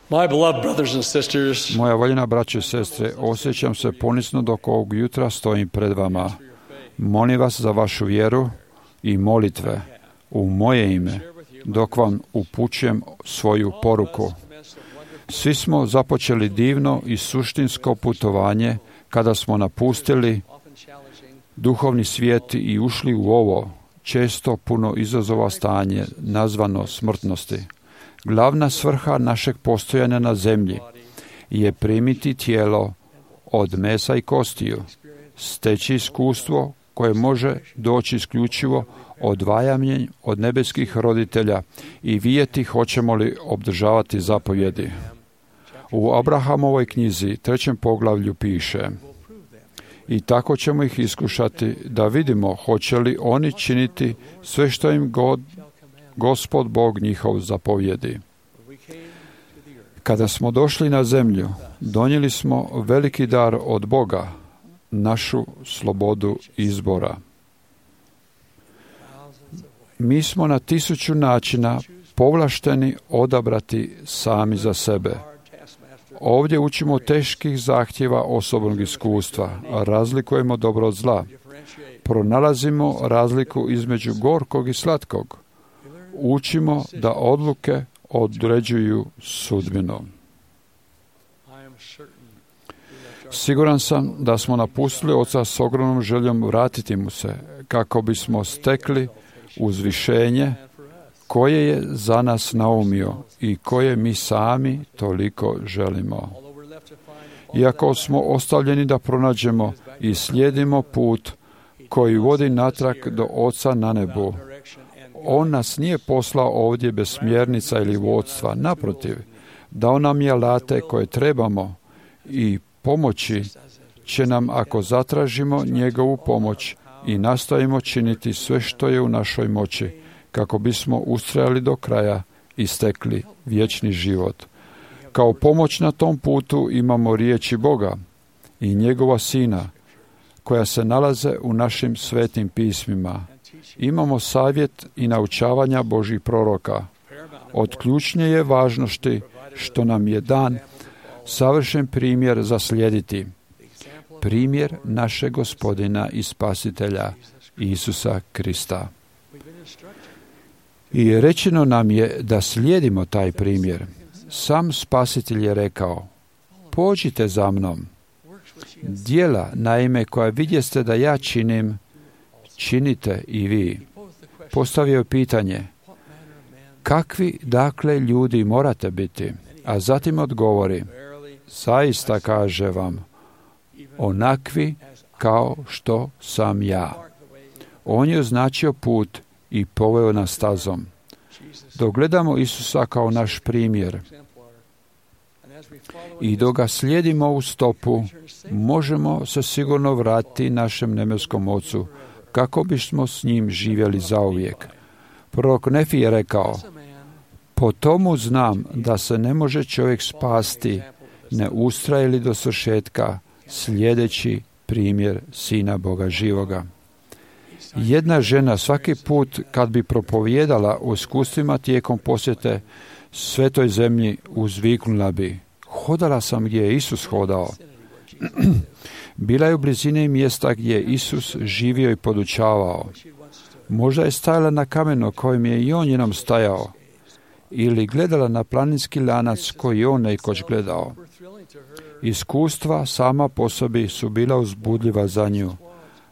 My beloved brothers and sisters, Moja voljena braćo i sestre, osjećam se ponisno dok ovog jutra stojim pred vama. Molim vas za vašu vjeru i molitve u moje ime, dok vam upućujem svoju poruku. Svi smo započeli divno i suštinsko putovanje kada smo napustili duhovni svijet i ušli u ovo često puno izazova stanje nazvano smrtnosti. Glavna svrha našeg postojanja na zemlji je primiti tijelo od mesa i kostiju, steći iskustvo koje može doći isključivo odvajanjem od nebeskih roditelja i vidjeti hoćemo li obdržavati zapovjedi. U Abrahamovoj knjizi 3. poglavlju piše: i tako ćemo ih iskušati da vidimo hoće li oni činiti sve što im Gospod Bog njihov zapovjedi. Kada smo došli na zemlju, donijeli smo veliki dar od Boga, našu slobodu izbora. Mi smo na 1000 načina povlašteni odabrati sami za sebe. Ovdje učimo teških zahtjeva osobnog iskustva, razlikujemo dobro od zla, pronalazimo razliku između gorkog i slatkog, učimo da odluke određuju sudbinu. Siguran sam da smo napustili Oca s ogromnom željom vratiti mu se, kako bismo stekli uzvišenje koje je za nas naumio i koje mi sami toliko želimo. Iako smo ostavljeni da pronađemo i slijedimo put koji vodi natrag do Oca na nebu, On nas nije poslao ovdje bez smjernica ili vodstva. Naprotiv, dao nam je alate koje trebamo i pomoći će nam ako zatražimo njegovu pomoć i nastojimo činiti sve što je u našoj moći kako bismo ustrajali do kraja i stekli vječni život. Kao pomoć na tom putu imamo riječi Boga i njegova Sina koja se nalaze u našim svetim pismima. Imamo savjet i naučavanja Božjih proroka. Od ključne je važnosti što nam je dan savršen primjer za slijediti. Primjer našeg Gospodina i Spasitelja Isusa Krista. I rečeno nam je da slijedimo taj primjer. Sam Spasitelj je rekao: pođite za mnom. Djela, naime, koja vidjeste da ja činim, činite i vi. Postavio je pitanje: kakvi dakle ljudi morate biti? A zatim odgovori: zaista kaže vam, onakvi kao što sam ja. On je označio put i poveo nas stazom. Dok gledamo Isusa kao naš primjer i dok ga slijedimo u stopu, možemo se sigurno vratiti našem nebeskom Ocu, kako bismo s njim živjeli zauvijek. Prorok Nefi je rekao: po tomu znam da se ne može čovjek spasti, ne ustraje li do svršetka, slijedeći primjer Sina Boga živoga. Jedna žena svaki put kad bi propovijedala o iskustvima tijekom posjete svetoj zemlji, uzviknula bi: hodala sam gdje je Isus hodao. Bila je u blizini mjesta gdje je Isus živio i podučavao. Možda je stajala na kamenu kojim je i on njenom stajao, ili gledala na planinski lanac koji je on nekoć gledao. Iskustva sama po sebi su bila uzbudljiva za nju,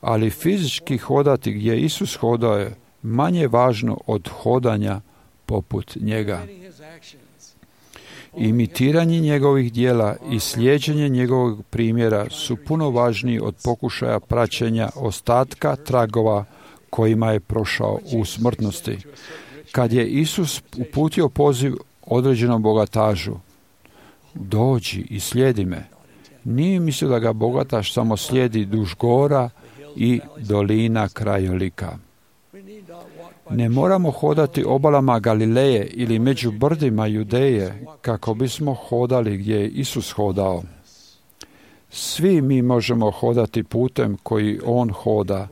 ali fizički hodati gdje Isus hodao je manje važno od hodanja poput njega. Imitiranje njegovih djela i slijeđenje njegovog primjera su puno važniji od pokušaja praćenja ostatka tragova kojima je prošao u smrtnosti. Kad je Isus uputio poziv određenom bogatažu: dođi i slijedi me, nije mislio da ga bogataš samo slijedi duž gora i dolina krajolika. Ne moramo hodati obalama Galileje ili među brdima Judeje kako bismo hodali gdje je Isus hodao. Svi mi možemo hodati putem koji on hoda,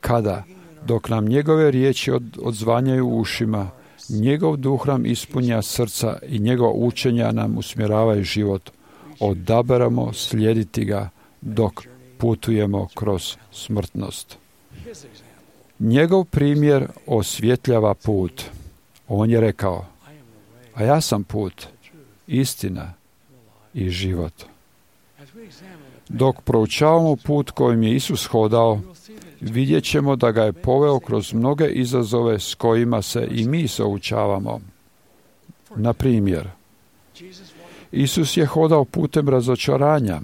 kada, dok nam njegove riječi odzvanjaju u ušima, Njegov duh nam ispunja srca i njegova učenja nam usmjeravaju život. Odaberamo slijediti ga dok putujemo kroz smrtnost. Njegov primjer osvjetljava put. On je rekao, a ja sam put, istina i život. Dok proučavamo put kojim je Isus hodao, vidjet ćemo da ga je poveo kroz mnoge izazove s kojima se i mi suočavamo. Na primjer, Isus je hodao putem razočaranja.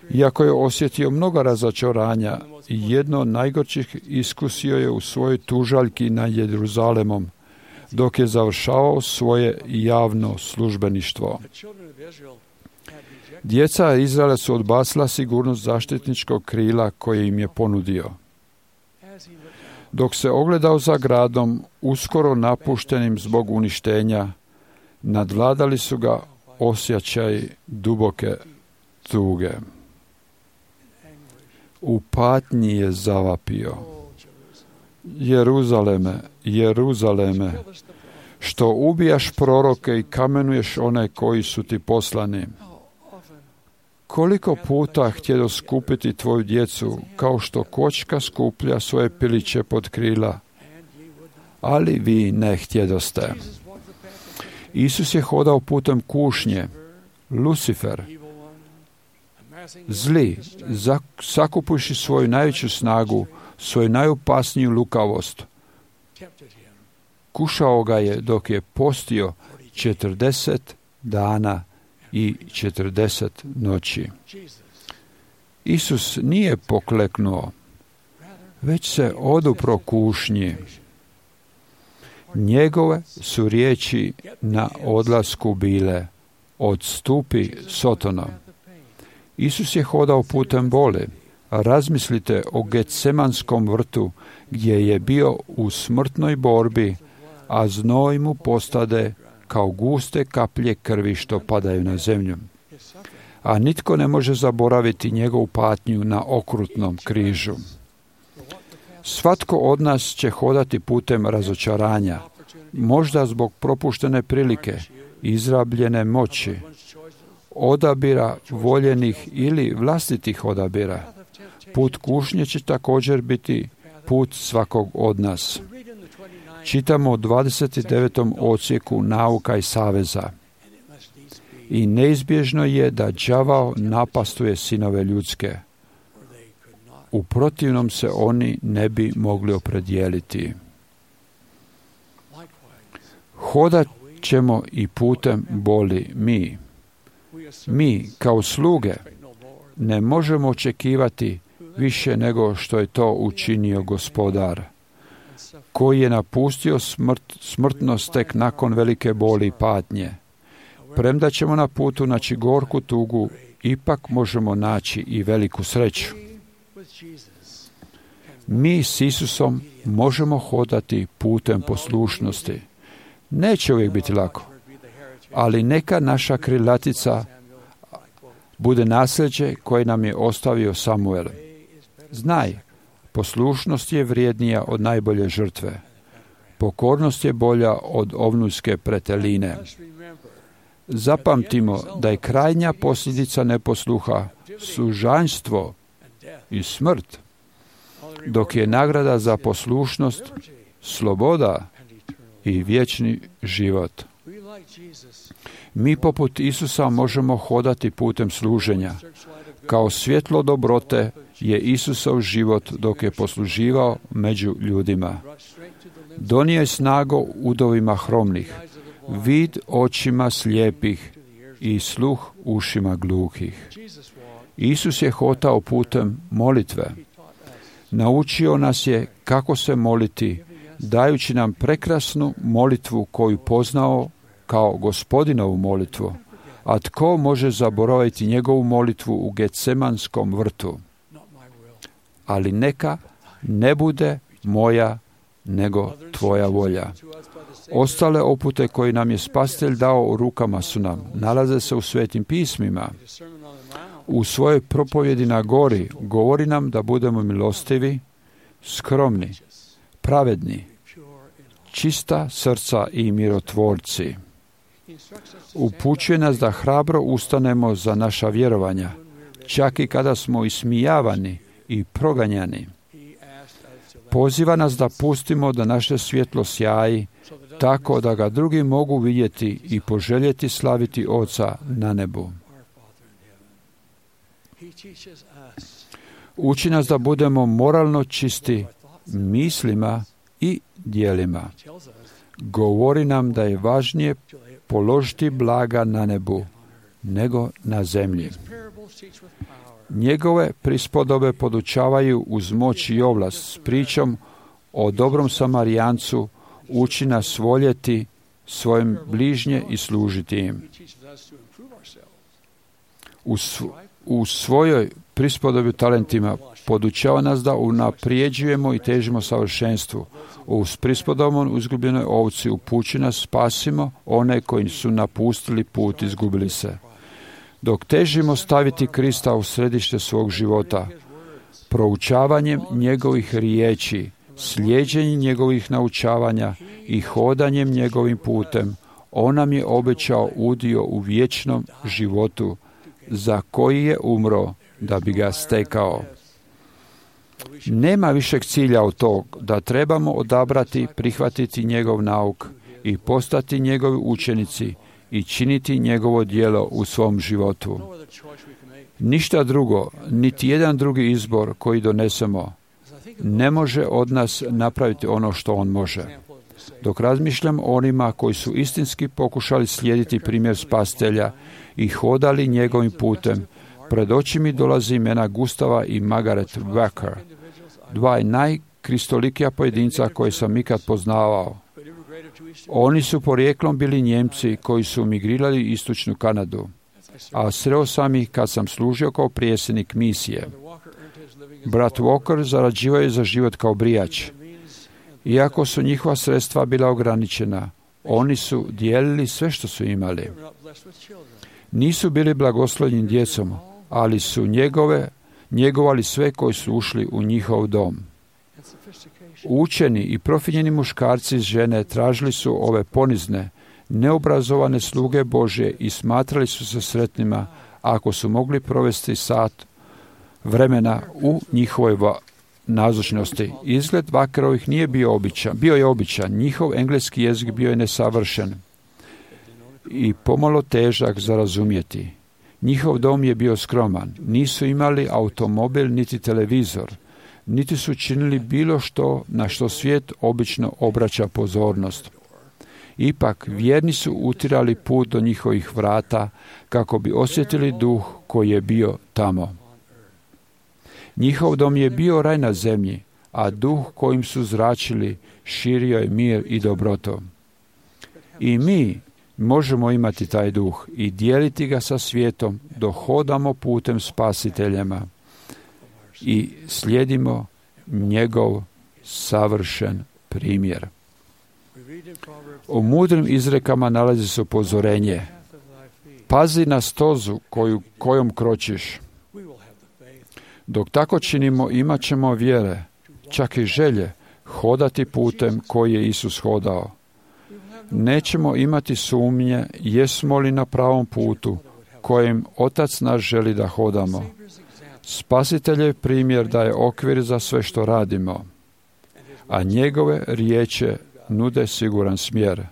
Iako je osjetio mnogo razočaranja, jedno od najgorčih iskusio je u svojoj tužaljki nad Jeruzalemom, dok je završavao svoje javno službeništvo. Djeca Izraela su odbacila sigurnost zaštitničkog krila koje im je ponudio. Dok se ogledao za gradom, uskoro napuštenim zbog uništenja, nadvladali su ga osjećaj duboke tuge. U patnji je zavapio. Jeruzaleme, Jeruzaleme, što ubijaš proroke i kamenuješ one koji su ti poslani. Koliko puta htjedo skupiti tvoju djecu, kao što kočka skuplja svoje piliće pod krila, ali vi ne htjedoste. Isus je hodao putem kušnje, Lucifer, zli, sakupuši svoju najveću snagu, svoju najopasniju lukavost. Kušao ga je dok je postio 40 dana i 40 noći. Isus nije pokleknuo, već se odupro kušnji. Njegove su riječi na odlasku bile: odstupi, Sotona. Isus je hodao putem boli. Razmislite o Getsemanskom vrtu, gdje je bio u smrtnoj borbi, a znoj mu postade kao guste kaplje krvi što padaju na zemlju. A nitko ne može zaboraviti njegovu patnju na okrutnom križu. Svatko od nas će hodati putem razočaranja, možda zbog propuštene prilike, izrabljene moći, odabira voljenih ili vlastitih odabira. Put kušnje će također biti put svakog od nas. Čitamo u 29. odsjeku Nauka i saveza. I neizbježno je da đavao napastuje sinove ljudske. U protivnom se oni ne bi mogli opredijeliti. Hodat ćemo i putem boli mi. Mi, kao sluge, ne možemo očekivati više nego što je to učinio Gospodar, koji je napustio smrtnost tek nakon velike boli i patnje. Premda ćemo na putu naći gorku tugu, ipak možemo naći i veliku sreću. Mi s Isusom možemo hodati putem poslušnosti. Neće uvijek biti lako, ali neka naša krilatica bude nasljeđe koje nam je ostavio Samuel. Znaj, poslušnost je vrijednija od najbolje žrtve. Pokornost je bolja od ovnujske preteline. Zapamtimo da je krajnja posljedica neposluha sužanjstvo i smrt, dok je nagrada za poslušnost sloboda i vječni život. Mi poput Isusa možemo hodati putem služenja. Kao svjetlo dobrote je Isusov život dok je posluživao među ljudima. Donio je snagu udovima hromnih, vid očima slijepih i sluh ušima gluhih. Isus je hodao putem molitve. Naučio nas je kako se moliti, dajući nam prekrasnu molitvu koju poznao kao Gospodinovu molitvu. A tko može zaboraviti njegovu molitvu u Getsemanskom vrtu? Ali neka ne bude moja, nego tvoja volja. Ostale upute koje nam je Spasitelj dao u rukama su nam, nalaze se u Svetim pismima. U svojoj propovjedi na gori govori nam da budemo milostivi, skromni, pravedni, čista srca i mirotvorci. Upućuje nas da hrabro ustanemo za naša vjerovanja, čak i kada smo ismijavani i proganjani. Poziva nas da pustimo da naše svjetlo sjaji, tako da ga drugi mogu vidjeti i poželjeti slaviti Oca na nebu. Uči nas da budemo moralno čisti mislima i djelima. Govori nam da je važnije položiti blaga na nebu nego na zemlji. Njegove prispodobe podučavaju uz moć i ovlast s pričom o dobrom Samarijancu, uči nas voljeti svojim bližnje i služiti im. U svojoj prispodobi o talentima podučava nas da unaprijeđujemo i težimo savršenstvu. Uz prispodobom izgubljenoj ovci upući nas spasimo one koji su napustili put, izgubili se. Dok težimo staviti Krista u središte svog života, proučavanjem njegovih riječi, slijeđenjem njegovih naučavanja i hodanjem njegovim putem, on nam je obećao udio u vječnom životu, za koji je umro da bi ga stekao. Nema višeg cilja od tog da trebamo odabrati, prihvatiti njegov nauk i postati njegovi učenici i činiti njegovo djelo u svom životu. Ništa drugo, niti jedan drugi izbor koji donesemo, ne može od nas napraviti ono što on može. Dok razmišljam o onima koji su istinski pokušali slijediti primjer Spasitelja i hodali njegovim putem, pred oči mi dolazi imena Gustava i Margaret Wacker, dva najkristolikija pojedinca koje sam ikad poznavao. Oni su porijeklom bili Njemci koji su migrirali u istočnu Kanadu, a sreo sam ih kad sam služio kao prijesednik misije. Brat Walker zarađivao je za život kao brijač. Iako su njihova sredstva bila ograničena, oni su dijelili sve što su imali. Nisu bili blagoslovljeni djecom, ali su njegovali sve koji su ušli u njihov dom. Učeni i profinjeni muškarci i žene tražili su ove ponizne, neobrazovane sluge Božje i smatrali su se sretnima ako su mogli provesti sat vremena u njihovoj nazočnosti. Izgled Wackerovih nije bio običan. Bio je običan. Njihov engleski jezik bio je nesavršen i pomalo težak za razumjeti. Njihov dom je bio skroman. Nisu imali automobil niti televizor. Niti su činili bilo što na što svijet obično obraća pozornost. Ipak, vjerni su utirali put do njihovih vrata kako bi osjetili duh koji je bio tamo. Njihov dom je bio raj na zemlji, a duh kojim su zračili širio je mir i dobroto. I mi možemo imati taj duh i dijeliti ga sa svijetom dok hodamo putem Spasiteljema i slijedimo njegov savršen primjer. U mudrim izrekama nalazi se upozorenje. Pazi na stozu kojom kročiš. Dok tako činimo, imat ćemo vjere, čak i želje, hodati putem koji je Isus hodao. Nećemo imati sumnje jesmo li na pravom putu kojim Otac naš želi da hodamo. Spasiteljev primjer daje okvir za sve što radimo, a njegove riječi nude siguran smjer.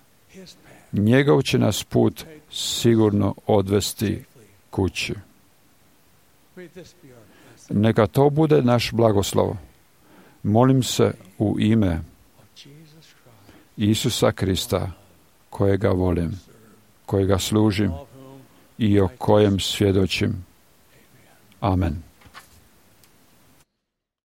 Njegov će nas put sigurno odvesti kući. Neka to bude naš blagoslov. Molim se u ime Isusa Krista, kojega volim, kojega služim i o kojem svjedočim. Amen.